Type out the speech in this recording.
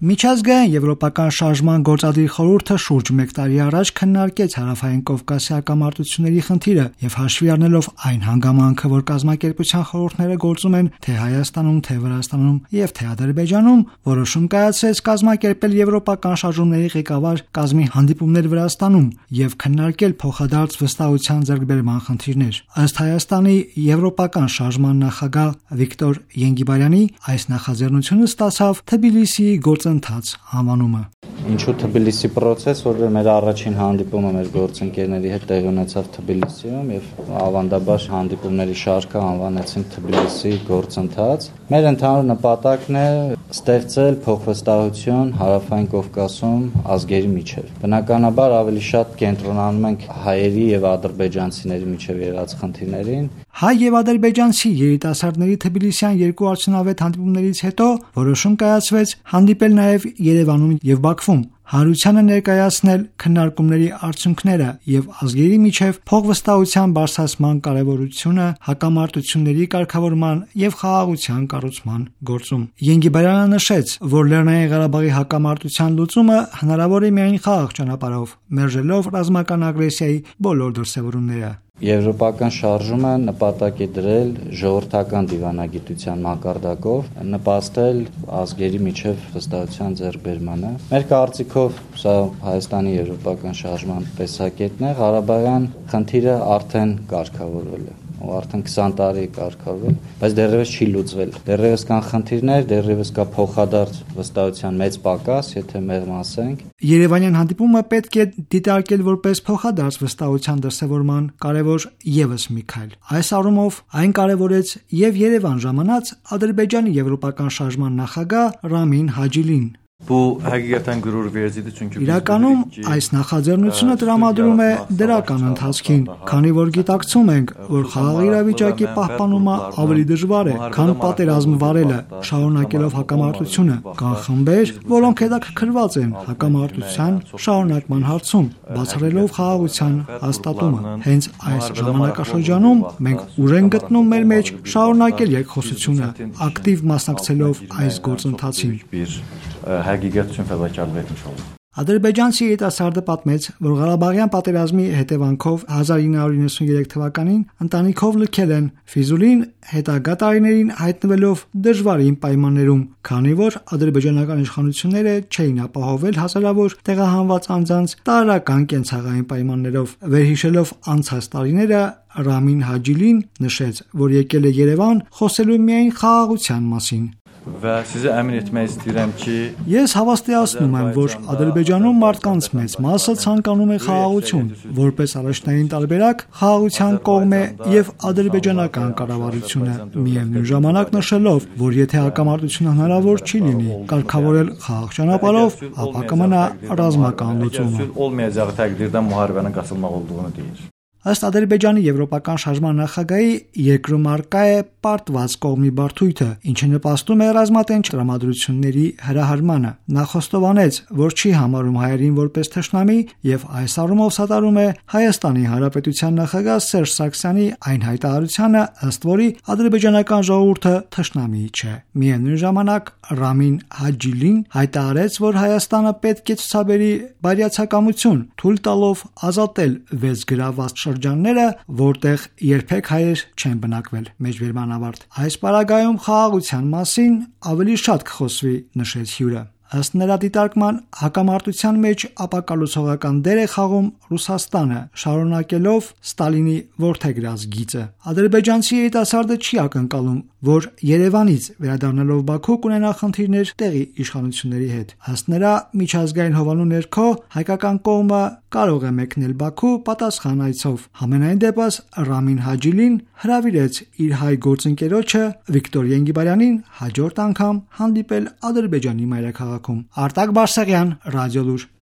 Միջազգային եվրոպական շարժման գործադիր խորհուրդը շուրջ 1 տարի առաջ քննարկեց Հարավային Կովկասի հակամարտությունների խնդիրը եւ հաշվի առնելով այն հանգամանքը, որ կազմակերպության խորհուրդները գործում են թե Հայաստանում, թե Վրաստանում եւ թե Ադրբեջանում, որոշում կայացրեց կազմակերպել եվրոպական շարժումների ղեկավար կազմի հանդիպումներ Վրաստանում եւ քննարկել փոխադարձ վստահության ձեռքբերման խնդիրներ։ Ըստ Հայաստանի եվրոպական շարժման նախագահ Վիկտոր Ենգիբարյանի, այս նախաձեռնությունը ստացավ Թբիլիսիի գործընթաց անվանումը։ Ինչու Թբիլիսի process, որ մեր առաջին հանդիպումը մեր գործընկերների հետ տեղի ունեցավ Թբիլիսիում եւ ավանդաբար հանդիպումների շարքը անվանեցին Թբիլիսի գործընթաց։ Մեր ընդհանուր նպատակն է ստեղծել փոխվստահություն Հարավային Կովկասում ազգերի միջև։ Բնականաբար ավելի շատ կենտրոնանում ենք հայերի եւ ադրբեջանցիների միջև եղած խնդիրներին։ Հայ եւ ադրբեջանցի երիտասարդների Թբիլիսյան երկու արդյունավետ հանդիպումներից հետո որոշում կայացվեց հանդիպել նաեւ Երևանում եւ Բաքվում, հանրությանը ներկայացնել քննարկումների արդյունքները եւ ազգերի միջև փոխվստահության բարձրացման կարեւորությունը հակամարտությունների կարգավորման եւ խաղաղության կառուցման գործում։ Ենգիբարյանը նշեց, որ Լեռնային Ղարաբաղի հակամարտության լուծումը հնարավոր է միայն խաղաղ ճանապարհով, մերժելով ռազմական ագրեսիայի բոլոր դրսևորումները։ Եվրոպական շարժումը նպատակ է դրել ժողովրդական դիվանագիտության մակարդակով նպաստել ազգերի միջև վստահության ձեռքբերմանը։ Մեր կարծիքով սա Հայաստանի եվրոպական շարժման տեսակետն է, Ղարաբաղյան խնդիրը արդեն կարգավորվել է։ Արդեն 20 տարի կարգավորվել, բայց դեռևս չի լուծվել։ Դեռևս կան խնդիրներ, դեռևս կա փոխադարձ վստահության մեծ պակաս, եթե մեղմ ասենք։ Երևանյան հանդիպումը պետք է դիտարկել որպես փոխադարձ վստահության դրսևորման կարևոր եւս մի քայլ։ Այս առումով այն կարևորեց եւ Երևան ժամանած Ադրբեջանի եվրոպական շարժման նախագահ Ռամին Հաջիլին։ Իրականում այս նախաձեռնությունը տրամադրում է դրական ընթացքին, քանի որ գիտակցում ենք, որ խաղաղ իրավիճակի պահպանումը ավելի դժվար է, քան պատերազմ վարելը, շարունակելով հակամարտությունը։ Կան խմբեր, որոնք հետաքրքրված են հակամարտության շարունակման հարցում, բացառելով խաղաղության հաստատումը։ Հենց այս ժամանակաշրջանում մենք ուժ ենք գտնում մեր մեջ շարունակել երկխոսությունը, ակտիվ մասնակցելով այս գործընթացին։ Ադրբեջանցի երիտասարդը պատմեց, որ Ղարաբաղյան պատերազմի հետևանքով 1993 թվականին ընտանիքով լքել են Ֆիզուլին, հետագա տարիներին հայտնվելով դժվարին պայմաններում, քանի որ ադրբեջանական իշխանությունները չէին ապահովել հազարավոր տեղահանված անձանց տարրական կենցաղային պայմաններով։ Վերհիշելով անցած տարիները, Ռամին Հաջիլին նշեց, որ եկել է Երևան խոսելու միայն խաղաղության մասին։ Ես հավաստիացնում եմ, որ Ադրբեջանում մարդկանց մեծ մասը ցանկանում է խաղաղություն, որպես առաջնային տարբերակ խաղաղության կողմ է եւ ադրբեջանական կառավարությունը, միևնույն ժամանակ նշելով, որ եթե հակամարտությունը հնարավոր չի լինի կարգավորել խաղաղ ճանապարհով, ապա կմնա ռազմական լուծումը։ Ըստ Ադրբեջանի եվրոպական շարժման նախագահի, երկրում առկա է պարտված կողմի բարդույթը, ինչը նպաստում է ռազմատենչ տրամադրությունների հրահարմանը։ Նա խոստովանեց, որ չի համարում հայերին որպես թշնամի եւ այս առումով սատարում է Հայաստանի Հանրապետության նախագահ Սերժ Սարգսյանի այն հայտարարությանը, ըստ որի ադրբեջանական ժողովուրդը թշնամի չէ։ Միևնույն ժամանակ Ռամին Հաջիլին հայտարարեց, որ Հայաստանը պետք է ցուցաբերի բարյացակամություն, թույլ տալով ազատել 6 գրաված շրջանները, որտեղ երբեք հայեր չեն բնակվել։ Մեջբերման ավարտ։ Այս պարագայում խաղաղության մասին ավելի շատ կխոսվի, նշեց հյուրը։ Ըստ նրա դիտարկման, հակամարտության մեջ ապակալուցողական դեր է խաղում Ռուսաստանը, շարունակելով Ստալինի որդեգրած գիծը։ Ադրբեջանցի երիտասարդը չի ակնկալում, որ Երևանից վերադառնալով Բաքու կունենա խնդիրներ տեղի իշխանությունների հետ։ Ըստ նրա, միջազգային հովանու ներքո հայկական կողմը կարող է մեկնել Բաքու պատասխան այցով։ Համենայն դեպս Ռամին Հաջիլին հրավիրեց իր հայ գործընկերոջը Վիկտոր Ենգիբարյանին հաջորդ անգամ հանդիպել Ադրբեջանի մայրաքաղաքում։ Արտակ Բարսեղյան, Ռադիոլուր։